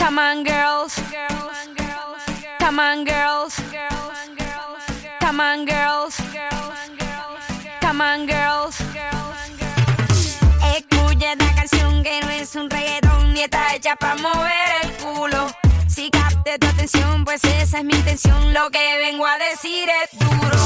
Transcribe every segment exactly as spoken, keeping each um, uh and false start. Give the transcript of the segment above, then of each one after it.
Come on, girls. Come on, girls. Come on, girls. Come on, girls. Escucha esta canción que no es un reggaetón ni está hecha para mover el culo. Si capte tu atención, pues esa es mi intención. Lo que vengo a decir es duro.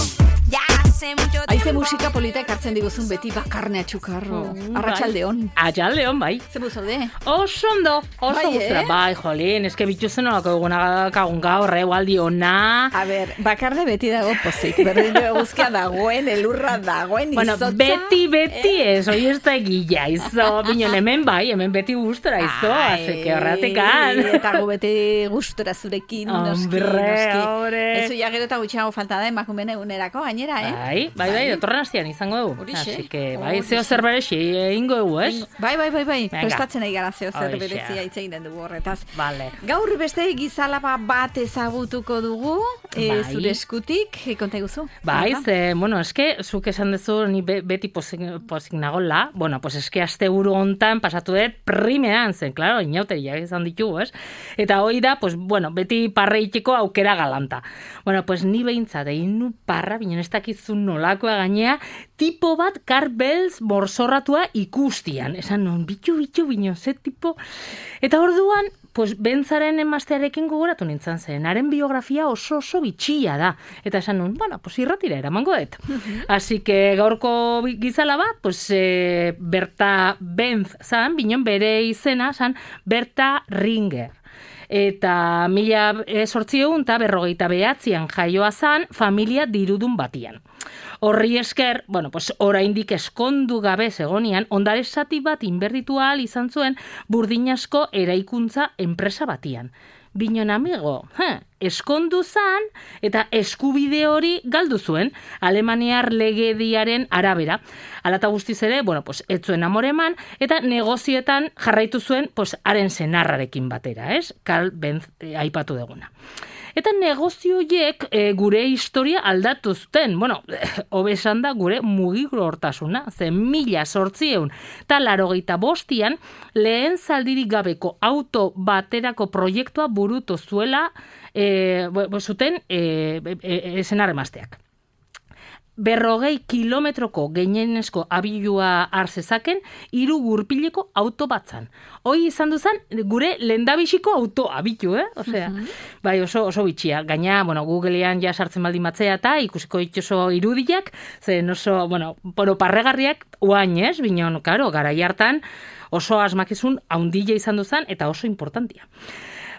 Ya hace mucho tiempo. Haize musika polita ekartzen diguzun beti bakarne atxukarro. Mm, Arratsaldeon. Arratsaldeon, bai. Zemu zaude? Oso ondo, oso Bai, gustura. eh? Bai, jolín, eske bituzen nolako eguna kagun gaur, egualdi ona. A ber, bakarne beti dago pozik. Berdin eguzkia dagoen, elurra dagoen, Bueno, izotza. beti, beti ez, hoi ez da egila, izo. Binon, hemen bai, hemen beti gustura, izo. Ai, Así que horratikan. Eta gu beti gustura zurekin, noski, Hombre, noski. hombre. Ezu ja gero eta gutxiago falta da emakumeen egunerako gainera, eh? Bai, bai, bai, datorren astean izango dugu. Horixe, Así que, bai, horixe. zeo zer berexi egingo dugu, ez? Bai, bai, bai, bai. Venga. Prestatzen ari gara zeo zer Horixe. berezia hitz egiten dugu horretaz. Vale. Gaur beste gizalaba bat ezagutuko dugu, e, Bai. zure eskutik, e, konta iguzu. Bai, ze, bueno, eske, zuk esan duzu, ni be, beti pozik, pozik nagola, bueno, pues eske aste buru hontan pasatu dut primeran zen, claro, inauteriak izan ditugu, ez? Eta hoi da, pues, bueno, beti parre itxiko aukera galanta. Bueno, pues ni behintzat, egin nu parra, binen ez dakizun nolakoa gainea, tipo bat karbelz morzorratua ikustian. Esan non, bitu, bitu, bino, ze tipo... Eta orduan, pues, bentzaren emaztearekin gogoratu nintzen zen. Haren biografia oso oso bitxia da. Eta esan nun, bueno, pues irratira eramango dut. Así que gaurko gizala bat, pues eh, Berta Benz zan, binon bere izena zan Berta Ringer. Eta mila sortzieun eta berrogeita behatzian jaioa zan familia dirudun batian. Horri esker, bueno, pues oraindik eskondu gabe zegonian, ondare zati bat inberditu ahal izan zuen burdinasko eraikuntza enpresa batian. Binon amigo, he, eskondu zan eta eskubide hori galdu zuen Alemaniar legediaren arabera. Alata guztiz ere, bueno, pues ez zuen amore eman eta negozietan jarraitu zuen pues haren senarrarekin batera, ez? Karl Benz eh, aipatu deguna. Eta negozioiek e, gure historia aldatu zuten. Bueno, hobe esan da gure mugikortasuna, ze mila sortzieun eta larogeita bostian lehen zaldirik gabeko auto baterako proiektua burutu zuela e, zuten e, e, esenar emazteak. Berrogei kilometroko gehienezko abilua hartzezaken hiru gurpileko auto batzan. Hoi izan duzan gure lendabiziko auto abitu, eh? Osea, uh-huh. Bai, oso, oso bitxia. Gaina, bueno, Googlean ja sartzen baldin batzea eta ikusiko itxoso irudiak, zen oso, bueno, poro parregarriak uain, ez? Binon, karo, garai hartan oso asmakizun haundila izan duzan eta oso importantia.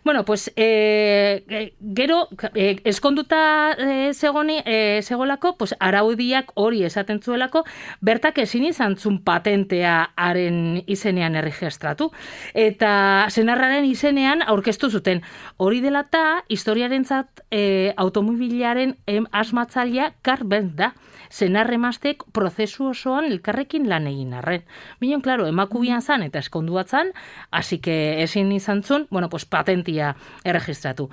Bueno, pues, e, gero, e, eskonduta e, zegoni, e, segolako, pues, araudiak hori esaten zuelako, bertak ezin izan zun patentea haren izenean erregistratu. Eta senarraren izenean aurkeztu zuten. Hori dela eta historiarentzat e, automobilaren em, asmatzailea Karl Benz da. Senarre emaztek prozesu osoan elkarrekin lan egin arren. Binon, klaro, emakubian zan eta eskonduatzan, hasi que ezin izan zun, bueno, pues, patentia erregistratu.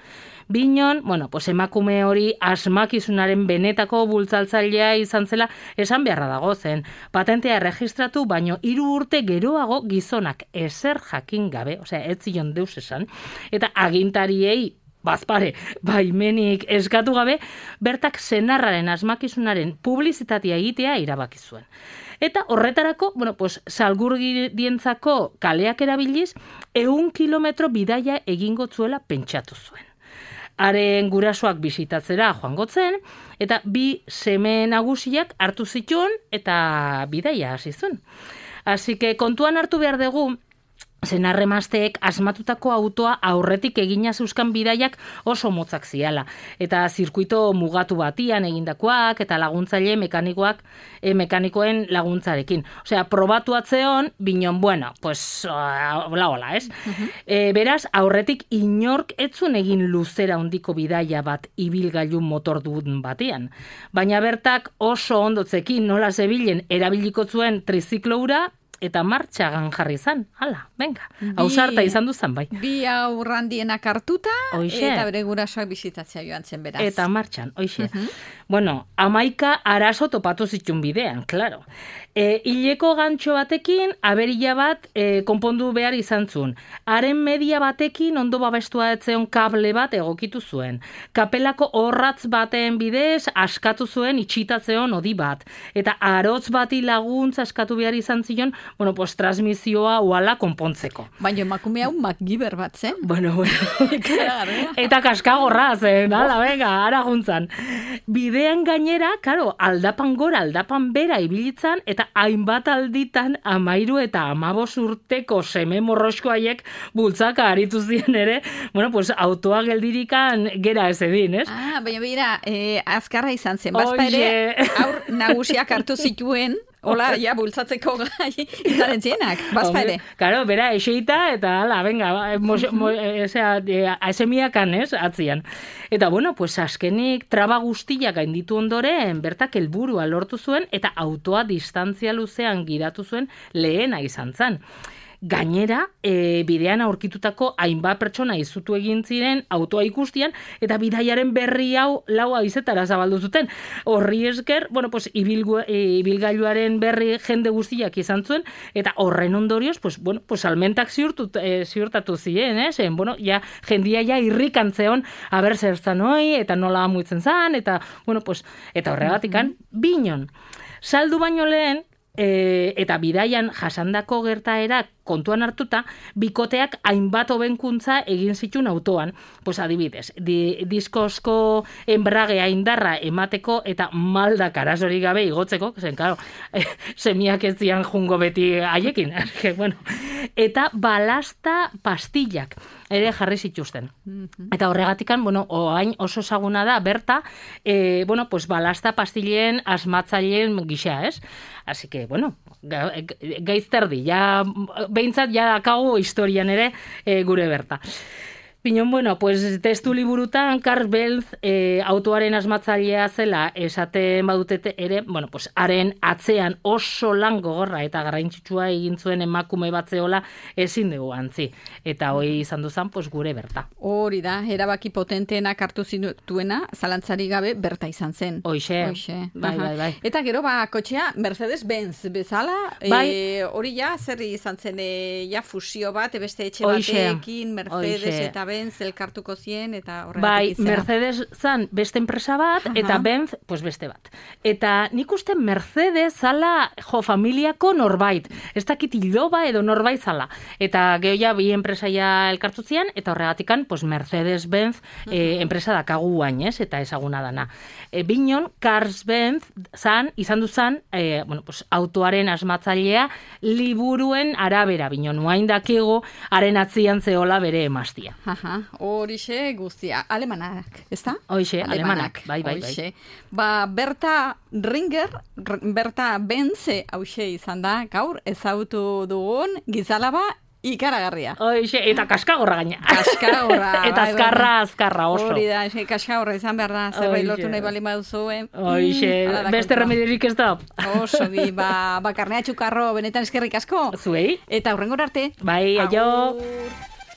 Binon, bueno, pues, emakume hori asmakizunaren benetako bultzaltzailea izan zela esan beharra dago zen. Patentea erregistratu, baino hiru urte geroago gizonak ezer jakin gabe, osea, ez zion deus esan, eta agintariei bazpare, baimenik eskatu gabe, bertak senarraren asmakizunaren publizitatea egitea erabaki zuen. Eta horretarako, bueno, pues, salgurdientzako kaleak erabiliz, ehun kilometro bidaia egingo zuela pentsatu zuen. Haren gurasoak bisitatzera joango zen, eta bi seme nagusiak hartu zituen eta bidaia hasi zuen. Así que kontuan hartu behar dugu, senarremazteek asmatutako autoa aurretik egina zeuzkan bidaiak oso motzak ziala. Eta zirkuito mugatu batian egindakoak eta laguntzaile mekanikoak e, mekanikoen laguntzarekin. Osea, probatu atzeon, binon, bueno, pues, hola, hola, ez? Uh-huh. E, beraz, aurretik inork etzun egin luzera handiko bidaia bat ibilgailu motordun batean. Baina bertak oso ondotzekin nola zebilen erabiliko zuen triziklo hura, eta martxagan jarri zan. Hala, venga. Ausarta izan duzan, bai. Bi aurrandienak hartuta, Oixe. Eta bere gurasoak bisitatzea joan zen beraz. Eta martxan, oixe. Uh-huh. Bueno, amaika arazo topatu zitun bidean, klaro. E, hileko gantxo batekin, aberila bat e, konpondu behar izan zuen. Haren media batekin ondo babestua etzeon kable bat egokitu zuen. Kapelako horratz baten bidez askatu zuen itxitatzeon odi bat. Eta arotz bati laguntza askatu behar izan zion, bueno, pues transmisioa uala konpontzeko. Baina emakume hau MacGyver bat zen. Bueno, bueno. Eta kaskagorra zen, ala, venga, ara juntzan. Bidean gainera, karo, aldapan gora, aldapan bera ibilitzan, eta hainbat alditan amairu eta amabos urteko seme morroskoaiek bultzaka aritu ziren ere, bueno, pues autoa geldirikan gera ez edin, ez? Ah, baina bera, eh, azkarra izan zen, bazpa ere, aur nagusiak hartu zituen, hola, ja, bultzatzeko gai izaren zienak, bazpa ere. Karo, bera, eseita, eta ala, venga, mo, mo, esea, esemiakan, ez, atzian. Eta, bueno, pues azkenik traba guztiak gainditu ondoren, bertak helburua lortu zuen, eta autoa distantzia luzean giratu zuen lehena izan zen. Gainera, e, bidean aurkitutako hainbat pertsona izutu egin ziren autoa ikustian, eta bidaiaren berri hau lau haizetara zabaldu zuten. Horri esker, bueno, pues, ibilgu, e, ibilgailuaren berri jende guztiak izan zuen, eta horren ondorioz, pues, bueno, pues, almentak ziurtu, e, ziurtatu ziren, eh? Zen, bueno, ja, jendia ja irrikantzeon, aber zer zan hoi, eta nola amuitzen zan, eta, bueno, pues, eta horregatikan, binon. Saldu baino lehen, E, eta bidaian jasandako gertaerak kontuan hartuta, bikoteak hainbat hobenkuntza egin zituen autoan. Pues adibidez, di, diskozko enbragea indarra emateko eta maldak arazorik gabe igotzeko, zen, claro, semiak ez zian jungo beti haiekin. Bueno, eta balasta pastillak ere jarri zituzten. Eta horregatikan, bueno, oain oso ezaguna da, berta, e, bueno, pues balasta pastilleen asmatzaileen gisa, ez? Así que, bueno, gaizterdi, ja, behintzat, ja dakago historian ere e, gure berta. Pinon, bueno, pues testu liburutan Karl Benz e, autoaren asmatzailea zela esaten badutete ere, bueno, pues haren atzean oso lan gogorra eta garrantzitsua egin zuen emakume bat zeola ezin dugu antzi. Eta hoi izan duzan, pues gure berta. Hori da, erabaki potenteenak hartu zituena, zalantzari gabe berta izan zen. Hoixe, bai, bai, bai. Eta gero, ba, kotxea Mercedes-Benz bezala, bai. e, hori ja, zer izan zen, e, ja fusio bat, beste etxe batekin, Mercedes Oixe. Eta Benz elkartuko zien eta horregatik bai, izena. Mercedes zan beste enpresa bat, uh-huh. eta Benz, pues beste bat. Eta nik uste Mercedes zala jo familiako norbait. Ez dakit iloba edo norbait zala. Eta geho ja bi enpresaia elkartu zien, eta horregatikan, pues Mercedes-Benz uh-huh. eh, enpresa dakagu guain, ez? Eta ezaguna dana. E, binon, Cars-Benz zan, izan duzan, e, bueno, pues, autoaren asmatzailea liburuen arabera, binon, nuain dakigu, haren atzian zehola bere emaztia. Horixe guztia, alemanak, ez da? Hoixe, alemanak, bai, bai, bai. Ba, Berta Ringer, Berta Benz, hauxe izan da, gaur, ezautu dugun, gizalaba, ikaragarria. Hoixe, eta kaskagorra gaina. Kaskagorra. Eta azkarra, azkarra oso. Hori da, kaskagorra izan behar da, zerbait lotu nahi bali maduzu, eh? Hoixe, beste remediorik ez da. Oso, bi, ba, ba, karnea txukarro, benetan eskerrik asko. Zuei. Eta hurrengor arte. Bai, aio. Agur.